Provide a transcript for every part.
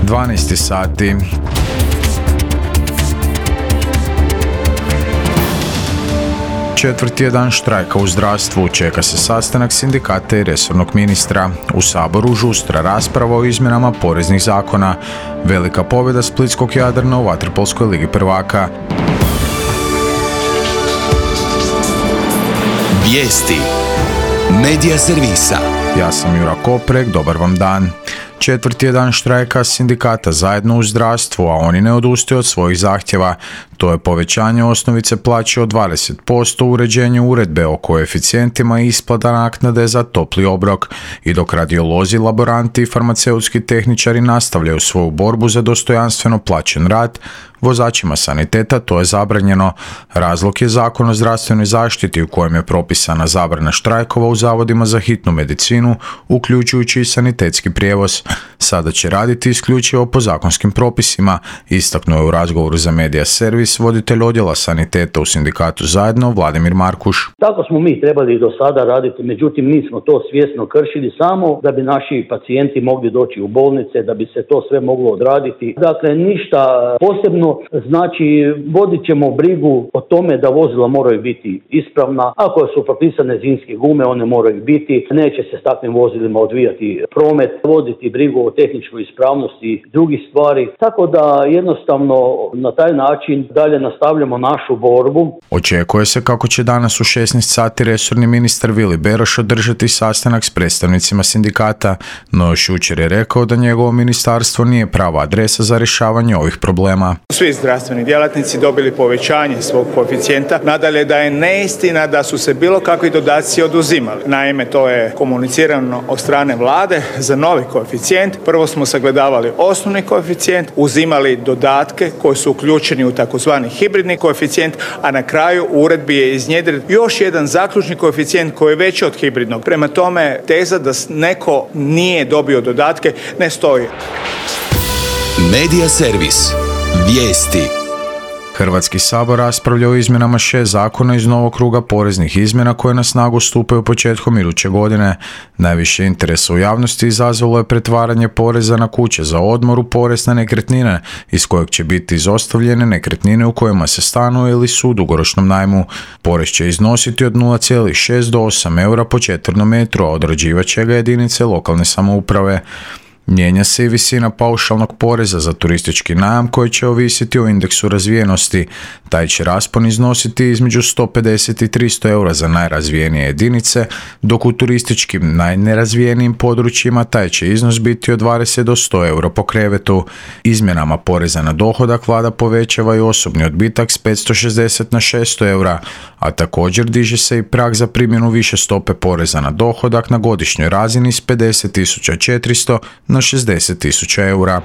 12 sati. Četvrti je dan štrajka u zdravstvu, čeka se sastanak sindikata i resornog ministra. U Saboru žustra rasprava o izmjenama poreznih zakona. Velika pobjeda splitskog Jadrana u vaterpolskoj ligi prvaka. Vijesti Medija servisa. Ja sam Jura Koprek, dobar vam dan. Četvrti je dan štrajka sindikata Zajedno u zdravstvu, a oni ne odustaju od svojih zahtjeva. To je povećanje osnovice plaće od 20%, uređenje uredbe o koeficijentima i isplata naknade za topli obrok. I dok radiolozi, laboranti i farmaceutski tehničari nastavljaju svoju borbu za dostojanstveno plaćen rad, vozačima saniteta to je zabranjeno. Razlog je Zakon o zdravstvenoj zaštiti u kojem je propisana zabrana štrajkova u zavodima za hitnu medicinu, uključujući i sanitetski prijevoz. Sada će raditi isključivo po zakonskim propisima, istaknuo je u razgovoru za Medija servis voditelj odjela saniteta u sindikatu Zajedno Vladimir Markuš. Tako smo mi trebali do sada raditi, međutim mi smo to svjesno kršili samo da bi naši pacijenti mogli doći u bolnice, da bi se to sve moglo odraditi. Dakle, ništa posebno, znači vodit ćemo brigu o tome da vozila moraju biti ispravna. Ako su propisane zimske gume, one moraju biti, neće se s takvim vozilima odvijati promet, voditi brigu o tehničkoj ispravnosti i drugih stvari. Tako da jednostavno na taj način dalje nastavljamo našu borbu. Očekuje se kako će danas u 16 sati resorni ministar Vili Beroš održati sastanak s predstavnicima sindikata, no još jučer je rekao da njegovo ministarstvo nije prava adresa za rješavanje ovih problema. Svi zdravstveni djelatnici dobili povećanje svog koeficijenta. Nadalje da je neistina da su se bilo kakvi dodaci oduzimali. Naime, to je komunicirano od strane vlade za novi koeficijent. Prvo smo sagledavali osnovni koeficijent, uzimali dodatke koji su uključeni u takozvani hibridni koeficijent, a na kraju u uredbi je iznjedren još jedan zaključni koeficijent koji je veći od hibridnog. Prema tome, teza da neko nije dobio dodatke ne stoji. Medija servis. Vijesti. Hrvatski sabor raspravlja o izmjenama 6 zakona iz novog kruga poreznih izmjena koje na snagu stupaju početkom iduće godine. Najviše interesa u javnosti izazvalo je pretvaranje poreza na kuće za odmor u porez na nekretnine, iz kojeg će biti izostavljene nekretnine u kojima se stanuje ili su u dugoročnom najmu. Porez će iznositi od 0,6 do 8 eura po četvrnom metru, a određivat će ga jedinice lokalne samouprave. Mijenja se i visina paušalnog poreza za turistički najam koji će ovisiti o indeksu razvijenosti. Taj će raspon iznositi između 150 i 300 eura za najrazvijenije jedinice, dok u turističkim najnerazvijenijim područjima taj će iznos biti od 20 do 100 eura po krevetu. Izmjenama poreza na dohodak vlada povećava i osobni odbitak s 560 na 600 eura, a također diže se i prag za primjenu više stope poreza na dohodak na godišnjoj razini s 50.400 na 60.000 eura.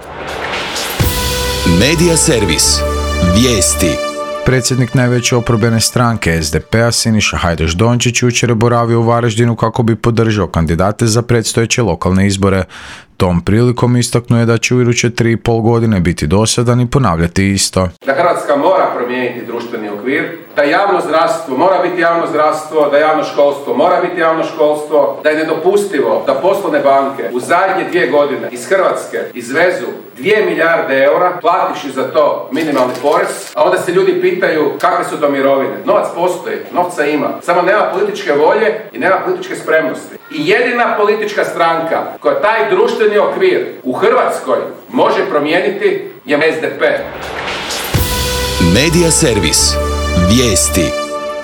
Medija servis. Vijesti. Predsjednik najveće oporbene stranke SDP-a Siniša Hajdaš Dončić jučer je boravio u Varaždinu kako bi podržao kandidate za predstojeće lokalne izbore. Tom prilikom istaknuo je da će u iduće 3,5 godine biti dosadan i ponavljati isto. Da Hrvatska mora promijeniti društveni okvir, da javno zdravstvo mora biti javno zdravstvo, da javno školstvo mora biti javno školstvo, da je nedopustivo da poslovne banke u zadnje 2 godine iz Hrvatske izvezu 2 milijarde eura, plativši za to minimalni porez, a onda se ljudi pitaju kakve su to mirovine. Novac postoji, novca ima, samo nema političke volje i nema političke spremnosti. I jedina politička stranka koja taj društveni okvir u Hrvatskoj može promijeniti je SDP. Medija servis. Vijesti.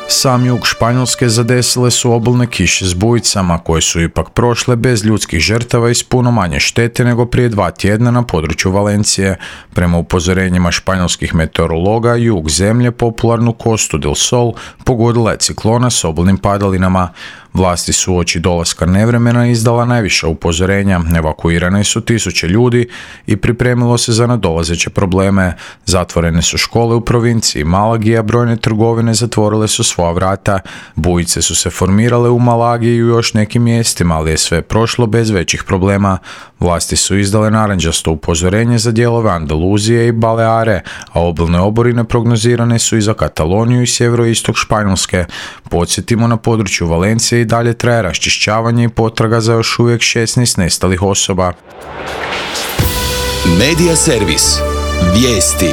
Sam jug Španjolske zadesile su obilne kiše s bujicama koje su ipak prošle bez ljudskih žrtava i s puno manje štete nego prije 2 tjedna na području Valencije. Prema upozorenjima španjolskih meteorologa, jug zemlje, popularnu Costu del Sol, pogodila je ciklona s obilnim padalinama. Vlasti su uoči dolaska nevremena izdala najviša upozorenja, evakuirane su 1000 ljudi i pripremilo se za nadolazeće probleme. Zatvorene su škole u provinciji Malagi, a brojne trgovine zatvorile su svoja vrata. Bujice su se formirale u Malagi i u još nekim mjestima, ali je sve prošlo bez većih problema. Vlasti su izdale narančasto upozorenje za dijelove Andaluzije i Baleare, a obilne oborine prognozirane su i za Kataloniju i sjeveroistok Španjolske. Podsjetimo, na području Valencije i dalje traje raščišćavanje i potraga za još uvijek 16 nestalih osoba. Medija servis. Vijesti.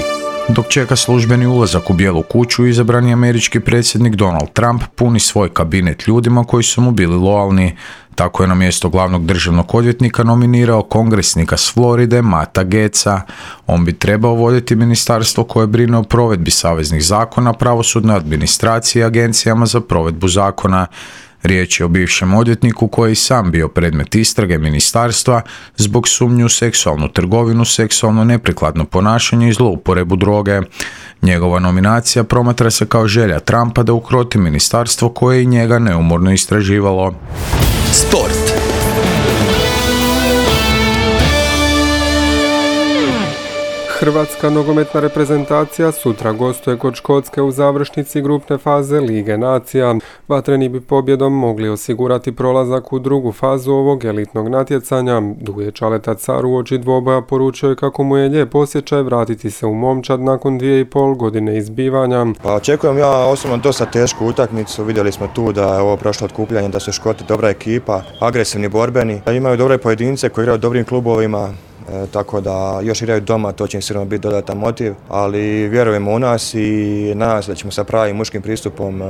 Dok čeka službeni ulazak u Bijelu kuću, izabrani američki predsjednik Donald Trump puni svoj kabinet ljudima koji su mu bili lojalni. Tako je na mjesto glavnog državnog odvjetnika nominirao kongresnika s Floride Matta Gaetza. On bi trebao voditi ministarstvo koje brine o provedbi saveznih zakona, pravosudnoj administraciji i agencijama za provedbu zakona. Riječ je o bivšem odvjetniku koji je sam bio predmet istrage ministarstva zbog sumnje u seksualnu trgovinu, seksualno neprikladno ponašanje i zlouporabu droge. Njegova nominacija promatra se kao želja Trumpa da ukroti ministarstvo koje je i njega neumorno istraživalo. Sport. Hrvatska nogometna reprezentacija sutra gostuje kod Škotske u završnici grupne faze Lige nacija. Vatreni bi pobjedom mogli osigurati prolazak u drugu fazu ovog elitnog natjecanja. Duje Čaleta Car uoči dvoboja poručio je kako mu je lijep osjećaj vratiti se u momčad nakon 2,5 godine izbivanja. Pa očekujem ja osobno dosta tešku utakmicu. Vidjeli smo tu da je ovo prošlo otkupljanje, da su Škoti dobra ekipa, agresivni, borbeni, da imaju dobre pojedince koji igraju u dobrim klubovima. Tako da još igraju doma, to će im sigurno biti dodatan motiv, ali vjerujemo u nas i nadam se da ćemo sa pravim muškim pristupom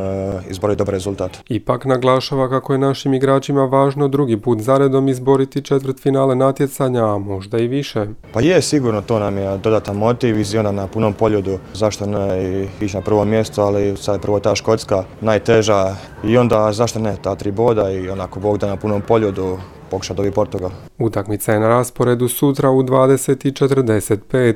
izboriti dobar rezultat. Ipak naglašava kako je našim igračima važno drugi put zaredom izboriti četvrtfinale natjecanja, a možda i više. Pa je, sigurno to nam je dodatan motiv i onda na punom poljudu, zašto ne ići na prvo mjesto, ali sad je prvo ta Škotska najteža i onda zašto ne, ta 3 boda i onako Bog da na punom poljudu pokuša dobiti Portugal. Utakmica je na rasporedu sutra u 20:45.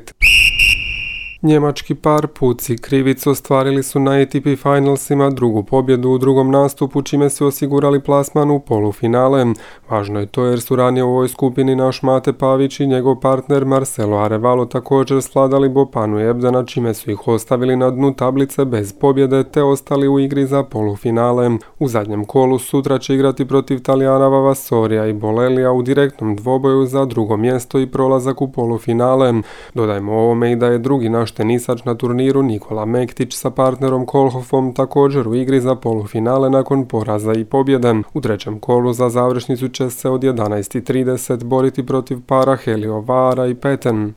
Njemački par Puc i Krivic ostvarili su na ATP Finalsima drugu pobjedu u drugom nastupu, čime su osigurali plasman u polufinale. Važno je to jer su ranije u ovoj skupini naš Mate Pavić i njegov partner Marcelo Arevalo također svladali Bopanu i Ebdena, čime su ih ostavili na dnu tablice bez pobjede te ostali u igri za polufinale. U zadnjem kolu sutra će igrati protiv Talijana Vavasorija i Bolelija u direktnom dvoboju za drugo mjesto i prolazak u polufinale. Dodajmo ovome i da je drugi naš tenisač na turniru Nikola Mektić sa partnerom Kolhofom također u igri za polufinale nakon poraza i pobjede. U trećem kolu za završnicu će se od 11:30 boriti protiv para Helio Vara i Peten.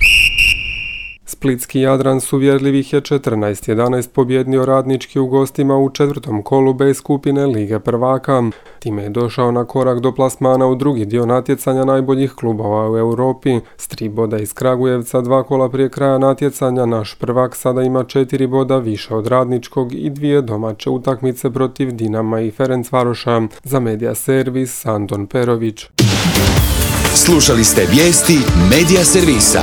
Splitski Jadran s uvjerljivih je 14:11 pobjednio Radnički u gostima u četvrtom kolu B skupine Lige prvaka. Time je došao na korak do plasmana u drugi dio natjecanja najboljih klubova u Europi. S 3 boda iz Kragujevca 2 kola prije kraja natjecanja naš prvak sada ima 4 boda više od Radničkog i 2 domaće utakmice protiv Dinama i Ferencvaroša. Za Medija servis Anton Perović. Slušali ste vijesti Medija servisa.